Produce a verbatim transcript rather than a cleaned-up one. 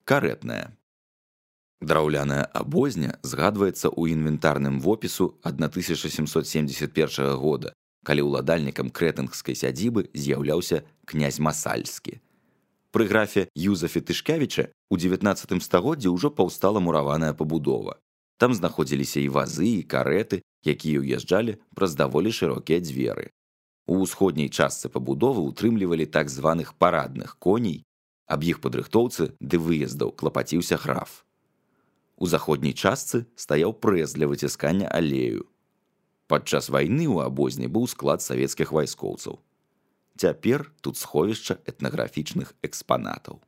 карэтная. Драўляная абозня згадваецца ў інвентарным вопісу тысяча сямсот семдзесят першага года, калі ўладальнікам крэтынгскай сядзібы з'яўляўся князь Масальскі. Пры графе Юзафе Тышкевіча ў дзевятнаццатым стагоддзі ўжо паўстала мураваная пабудова. Там знаходзіліся і вазы, і карэты, якія ўязджалі праз даволі шырокія дзверы. У ўсходняй частцы пабудовы ўтрымлівалі так званых парадных коней, аб іх падрыхтоўцы ды выездаў клапаціўся граф. У заходняй частцы стаяў прэс для выціскання алею. Падчас вайны ў абозні быў склад савецкіх вайскоўцаў. Цяпер тут сховішча этнаграфічных экспанатаў.